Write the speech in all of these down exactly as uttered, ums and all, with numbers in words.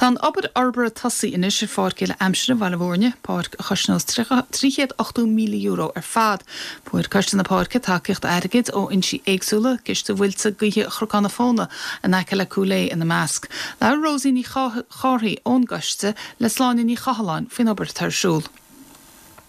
Tá an obair fhorbartha tosaithe anois ar Pháirc Uile Aimsire Bhaile Bhúirne, páirc a chosnós trí chéad ochtó míle euro ar fad. Fuair Coiste na Páirce tacaíocht airgid ó fhoinsí éagsúla, Ciste Mhuilte Gaoithe Chnocán na Fóna in aice le Cúil Aodha ina measc. Labhair Rosie Ní Chárthaigh ón gcoiste le Sláine Ní Chathalláin faoin obair atá ar siúl.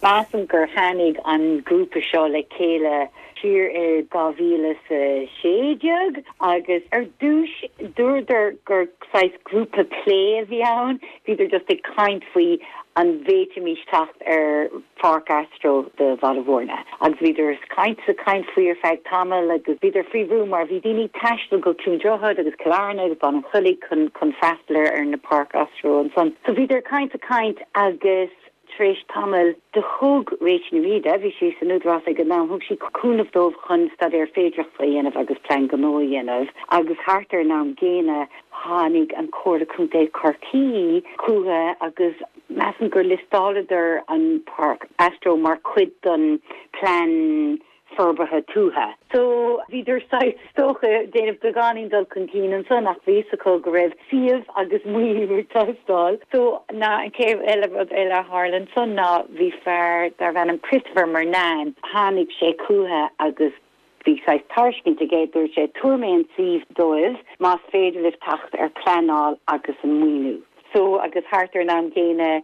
Measaim gur tháinig an grúpa seo le chéile siar i dhá mhíle sa sé déag agus ar dtús dúradar gur saghas grúpa plé a bhí ann, bhíodar just ag caint faoi an bhféadfaimis teacht ar pháirc astro do Bhaile Bhúirne. Agus bhíodar caint sa caint faoi ar feadh tamall agus bhíodar faoi bhrú mar bhí daoine ag taisteal go Cluain Droichead agus Cill Airne agus Baile an Chollaigh chun chun freastal ar na páirc astro ansan. So bhíodar caint a caint agus tar éis tamaill do thug Rachel Ní Riada, bhí sí san Údarás ag an am, thug sí cúnamh dóibh chun staidéar féidearthachta a dhéanamh agus plean gnó a dhéanamh agus thart ar an am gcéanna tháinig an Comhairle Contae Chorcaí chucu agus measaim gur liostáladar an Páirc Astro mar chuid den plean forbartha tuaithe. So bhíodar is dócha déanamh beagáinín dul chun cinn ansan ach bhí a fhios acu go raibh suíomh agus maoiniú ag teastáil. So ná an chéad eile rud eile a tharla ansan ná bhí fear darbh ainm Christopher Murnane tháinig sé chucu agus bhí saghas tairiscint aige dúirt sé tabharfaidh mé an suíomh dóibh más féidir libh teacht ar pleanáil agus an maoiniú. So agus thart ar an am gcéanna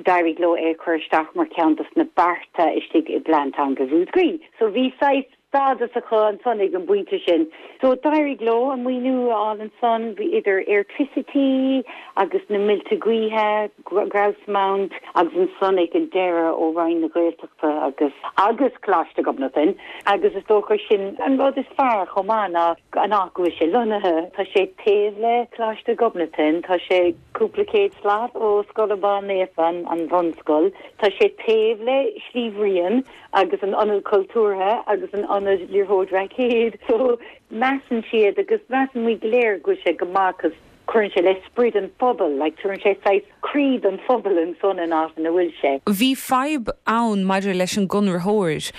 d'éirigh leo é chur isteach mar ceann dos na bearta istigh i bplean teanga Mhúscraí. So bhí saghas stádas acu ansan ag an bpointe sin. So d'éirigh leo an maoiniú ansan bhí idir Airtricity agus na muilte gaoithe Grouse Mount agus ansan ag an deireadh ó Roinn na Gaeltachta agus agus Coláiste Ghobnatan agus is dócha sin an rud is fearr chomh maith ná an áit go bhfuil sé lonnaithe Tá sé taobh le Coláiste Ghobnatan tá sé cúpla céad slat ó Scoil Abán Naofa an bhunscoil Tá sé taobh le Sliabh Riain agus an ionad cultúrtha agus an ionad liathróid raicéid so measann siad agus measann muid go léir go sé go maith cuireann sé le sprid an phobal like tugann sé saghas croí don phobal ansan in áit ina bhfuil sé. Bhí fadhb ann maidir leis an gconraitheoir.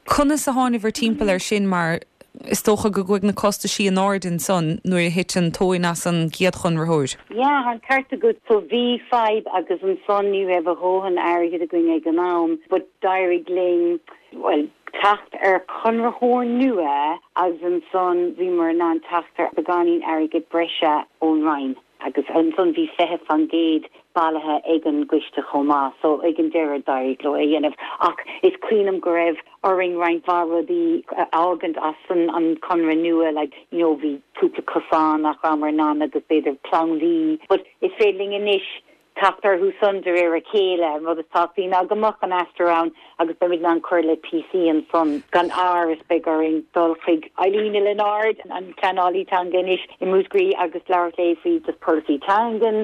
Conas a thánabhair timpeall air sin mar is dócha go gcuaigh na costais in airde ansan nuair a thit an tóin as an gcéad chonraitheoir. Ja, an ceart agat so bhí fadhb agus ansan ní raibh a dhóthain airgid againn ag an am, but d'éirigh linn well teacht ar chonraitheoir nua agus ansan bhíomar in ann teacht ar beagáinín airgid breise ón Roinn. agus ansan bhí fiche faoin gcéad bailithe ag an gcoiste chomh maith, so ag an deireadh d'éirigh leo é dhéanamh ach is cuimhin liom go raibh orainn roinnt mhaith rudaí a fhágaint as an an conradh nua like you know bhí cúpla cosán nach rabhamar in ann agus b'fhéidir plandaí but is féidir linn anois teacht orthu san de réir a chéile an rud is tábhachtaí ná go mbeadh an astro ann agus beimid in ann cur le píosaí ansan gan amhras beidh orainn dul chuig Eileen Leonard an pleanálaí teanga anois i Múscraí agus labhairt léi faoi just polasaí teangan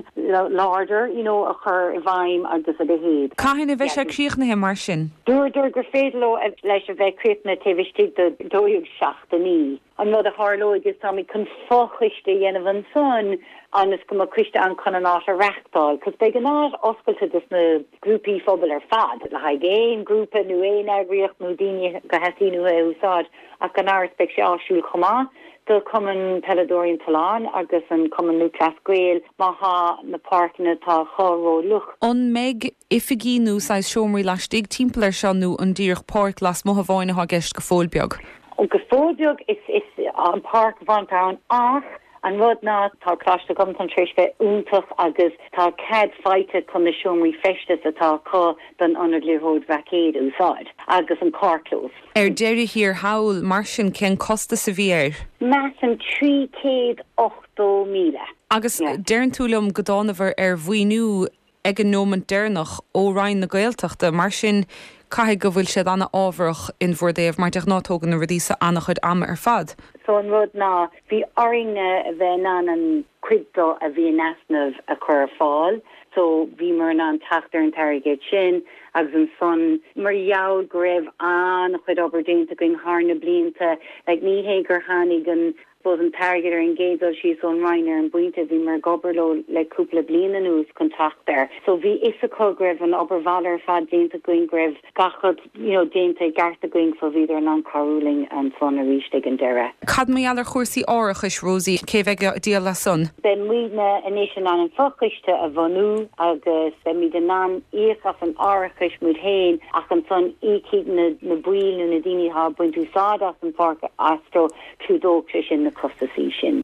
láidir you know a chur i bhfeidhm agus a leithéid. Cathain a bheidh sé críochnaithe mar sin. Dúradar gur féidir leo leis a bheith críochnaithe taobh istigh de dó dhéag seachtainí. An rud a tharlóidh is táimid chun fochoiste a dhéanamh ansan agus go mbeadh coiste ann chun an áit a reáchtáil, cos beidh an áit oscailte dos na grúpaí phobail ar fad, le haghaidh aon grúpa nó aon eagraíocht nó daoine go theastaíonn uathu é úsáid ach gan amhras beidh sé áisiúil chomh maith do Cumann Peileadóirí an tSuláin agus an Cumann Lúthchleas Gael má tá na páirceanna atá acu rófhliuch. An mbeidh oifigí nó saghas seomraí laistigh timpeall air seo nó an díreach páirc lasmuigh amháin atá i gceist go fóill beag. Go fóill beag is is an páirc amháin ann ach an rud ná tá Coláiste Ghobnatan tar éis bheith iontach agus tá cead faighte chun na seomraí feistis atá acu don ionad liathróid raicéid a úsáid agus an carrchlós. Ar deireadh thiar thall mar sin cén costas a bhí air. Measaim trí chéad ochtó míle. Agus deireann tú liom go dtánabhair ar mhaoiniú ag an nóiméad deireanach ó Roinn na Gaeltachta, mar sin caithfidh go bhfuil siad an-fhabhrach in bhur dtaobh mar de ghnáth tógann na rudaí seo an-chuid ama ar fad. So an rud ná bhí orainn a bheith in ann an cuid dó a bhí in easnamh a chur ar fáil, so bhíomar in ann teacht ar an t-airgead sin agus ansan mar gheall go raibh an-chuid obair déanta againn thar na blianta, like ní hé gur tháinig an Suppose an t-airgead ar an gcéad dul síos ón Roinn ar an bpointe bhíomar ag obair leo le cúpla bliain anuas chun teacht air. So bhí fhios acu go raibh an obair bhaile ar fad déanta againn go raibh gach rud you know, déanta i gceart againn so bhíodar in ann cabhrú linn ansan arís ag an deireadh. Cad mar gheall ar chúrsaí árachais Rosie cé bheidh ag díol as san? Beidh muidne anois in ann an fochoiste a bhunú agus beimid in ann íoc as an árachas muid féin ach ansan íocfaidh na, na baill nó na daoine atá ag baint úsáid as an pháirc astro clúdóidh sé sin na costaisí sin.